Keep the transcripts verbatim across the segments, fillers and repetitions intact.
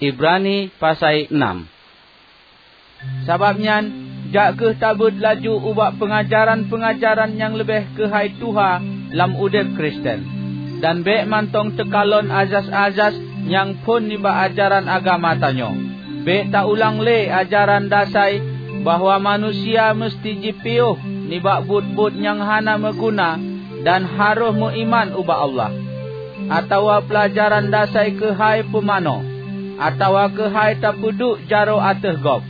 Ibrani pasai enam. Sabab nyan, jak kheueh tabeuet laju ubak peungajaran-peungajaran nyang leubeh keuhai tuha lam udeb Kristen, dan bék mantong teukalon azas-azas nyang phon nibak ajaran agama tanyoe. Bék taulang lé ajaran dasai bahwa manusia meuseuti jipiôh nibak buet-buet nyang hana meuguna dan harôh meuiman ubak Allah, atawa peulajaran dasai keuhai pumanö, atawa keuhai tapeuduek jaroe ateueh gob,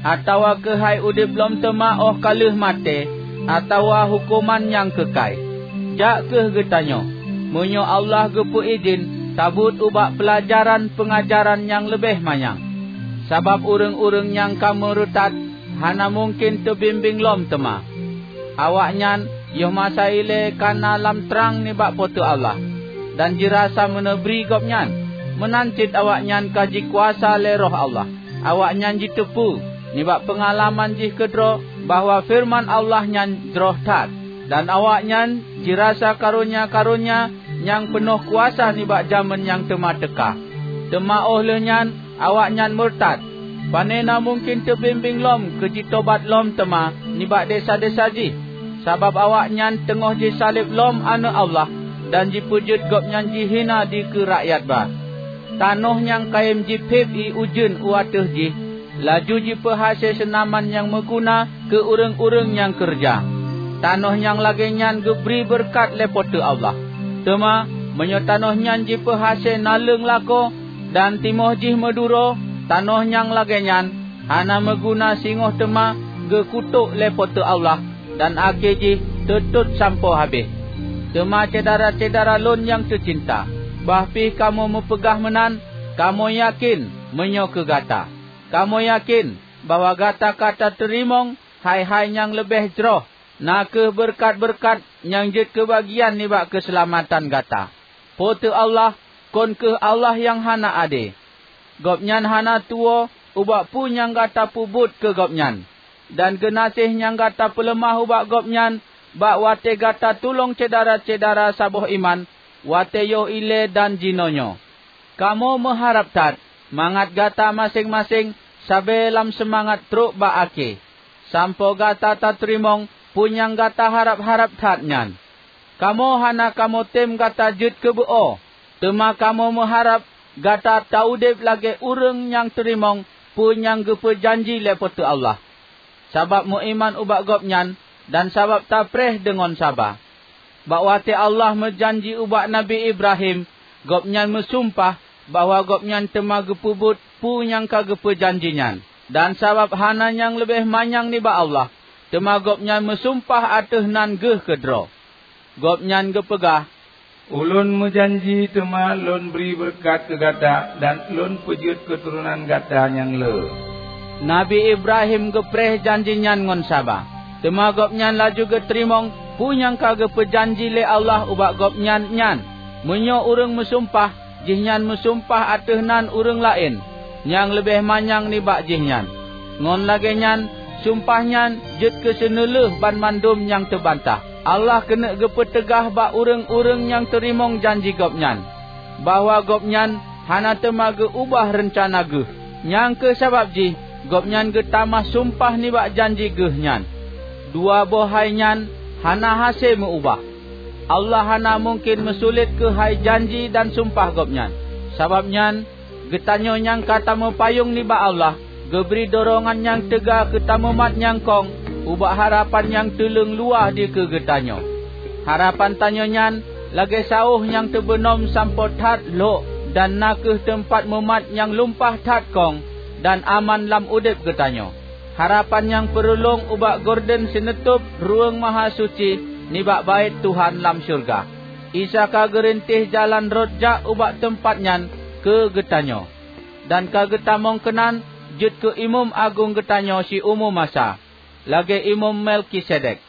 atawa keuhai udeb lom teuma óh ka lheueh maté, atawa huköman nyang keukai. Jak kheueh geutanyoe, meunyoe Allah geupeu idhin, tabeuet ubak peulajaran peungajaran nyang leubeh manyang. Sabab ureuëng-ureuëng nyang ka meureutat hana mungken teubimbéng lom teuma. Awaknyan yoh masa ilée ka na lam trang nibak Po teu Allah, dan jirasa meuneubri Gobnyan. Meunan cit awaknyan ka jikuasa lé Roh Allah. Awaknyan jiteupeue nibak peungalaman jih keudroe bahwa feureuman Allah nyan jroh that, dan awaknyan jirasa karonya-karonya nyang peunoh kuasa nibak jamén nyang teuma teuka. Teuma óh lheueh nyan awaknyan murtad. Panena mungken teubimbéng lom keu jitobat lom teuma nibak desya-desya jih, sabab awaknyan teungoh jisaleb lom Aneuëk Allah dan jipeujeuet Gobnyan jihina dikeue rakyat ba. Tanoh nyang kayém jiphieb ié ujeuen u ateueh jih, laju jipeuhasé seunaman nyang meuguna keu ureuëng-ureuëng nyang keureuja. Tanoh nyang lagée nyan geubri beureukat lé Po teu Allah. Teuma meunyoe tanoh nyan jipeuhasé naleueng lakoe dan timoh jih meuduro, tanoh nyang lagée nyan hana meuguna singoh teuma geukutôk lé Po teu Allah dan akhé jih teutot sampoe habéh. Teuma syedara-syedara lôn nyang teucinta, bah pih kamoe meupeugah meunan, kamoe yakén meunyoe keu gata. Kamoe yakén bahwa gata ka tateurimong hai-hai nyang leubeh jroh, na kheueh beureukat-beureukat nyang jeuet keu bagian nibak keuseulamatan gata. Po teu Allah kon kheueh Allah nyang hana ade. Gobnyan hana tuwoe ubak peue nyang gata peubuet keu Gobnyan, dan geunaséh nyang gata peuleumah ubak Gobnyan bak watée gata tulông syedara-syedara saboh iman watée yoh ilée dan jinoenyoe. Kamoe meuharab that mangat gata maséng-maséng sabe lam seumangat trok bak akhé, sampoe gata tateurimong peue nyang gata harab-harab that nyan. Kamoe hana kamoe tem gata jeuet keu beu-o, teuma kamoe meuharab gata taudeb lagée ureuëng nyang teurimong peue nyang geupeu janji lé Po teu Allah, sabab meuiman ubak Gobnyan dan sabab tapreh deungon saba. Bak watée Allah meujanji ubak Nabi Ibrahim, Gobnyan meusumpah bahwa Gobnyan teuma geupeubuet peue nyang ka geupeu janji nyan. Dan sabab hana nyang leubeh manyang nibak Allah, teuma Gobnyan meusumpah ateueh nan geuh keudroe. Gobnyan geupeugah, "Ulôn meujanji teuma Lôn bri beureukat keu gata dan Lôn peujeuet keuturonan gata nyang le." Nabi Ibrahim geupreh janji nyan ngon saba, teuma gobnyan laju geuteurimong peue nyang ka geupeu janji lé Allah ubak gobnyan nyan. Meunyoe ureuëng meusumpah, jihnyan meusumpah ateueh nan ureuëng laén nyang leubeh manyang nibak jihnyan. Ngon lagée nyan, sumpah nyan jeuet keu seuneulheueh banmandum nyang teubantah. Allah keuneuk geupeuteugah bak ureuëng-ureuëng nyang teurimong janji Gobnyan, bahwa Gobnyan hana teuma geu-ubah reuncana Geuh. Nyang kheueh sabab jih Gobnyan geutamah sumpah nibak janji Geuh nyan. Dua boh hai nyan hana hase meu-ubah. Allah hana mungken meusulet keuhai janji dan sumpah Gobnyan. Sabab nyan, geutanyoe nyang ka tameupayong nibak Allah, geubri dorongan nyang teuga keu tamumat nyang kong ubak harapan nyang teuleueng luwa dikeue geutanyoe. Harapan tanyoe nyan lagée saôh nyang teubeunom sampoe that lhok dan na kheueh teumpat mumat nyang lumpah that kong dan aman lam udeb geutanyoe. Harapan nyang peureulong ubak gorden seuneutôb Ruweueng Mahasuci nibak Baét Tuhan lam syeuruga. Isa ka geurintéh jalan rot jak ubak teumpat nyan keu geutanyoe, dan ka geutamong keunan jeuet keu Imeum Agong geutanyoe siumu masa, lagée Imeum Melkisedek.